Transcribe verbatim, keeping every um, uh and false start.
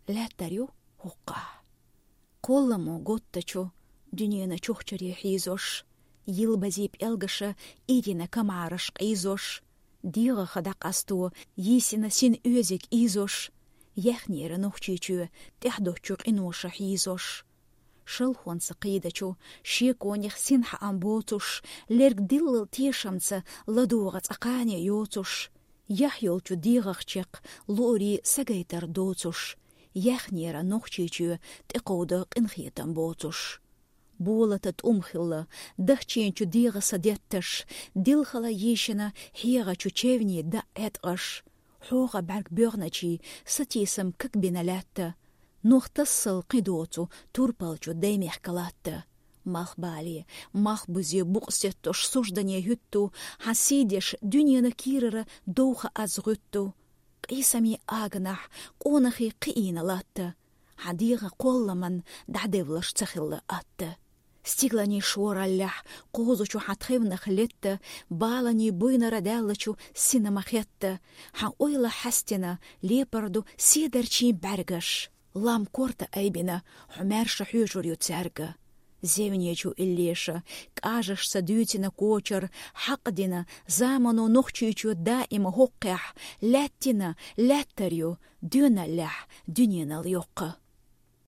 лаьттар ю хӀокхахь. Кхолламо готтачу дуьненан чухчаре хьийзош, йилбазий пӀелгаша ирина камараш къийзош, дегӀаха дӀакъасто йийсина син оьзиг ийзош, яьхнера Нохчийчоь тӀаьхьадоцчу къиноша хьийзош. Шалхонца кхийдачу, шеконех синхьаам боцуш, лерг диллал тешамца ладогӀа цкъа кхане йоцуш, яхь йолчу дегӀах чекх луурий сагайтар доцуш, яьхнера Нохчийчоь тӀекховда къинхетам боцуш. Болата тӀум хилла, дахчийначу дегӀа са детташ, дилхала йийшина хьегӀачу чевний даъ Ӏеткъаш. ХьогӀа бӀаьрг боьгӀначий сатийсам кагбина лаьтта. Нох тассал кхин доцу турпалчу даймехка латта. Малхбале, малхбузе букъ сеттош суждане хӀуьтту, хьан сийдеш дуьненан кийрара довха аз гӀуьтту. Къийсамийн аганахь къонахий кхиийна латта. Хьан дегӀан кхолламан дӀадевлаш ца хилла атта. Стигланийн шораллехь кхозучу хьан тхевнах летта, баланийн буйнара даьллачу сина ма хетта, хьан ойла хьаьстина лепар ду седарчийн бӀаьргаш. Лам корта айбина хьо маьрша хьоьжур ю цаьрга. Зевнечу иллеша кӀажашца дуьйцина кочар хьакъ дина, замано Нохчийчоь даима хӀокхехь лаьттина лаьттар ю доьналлехь дуьненал йоккха.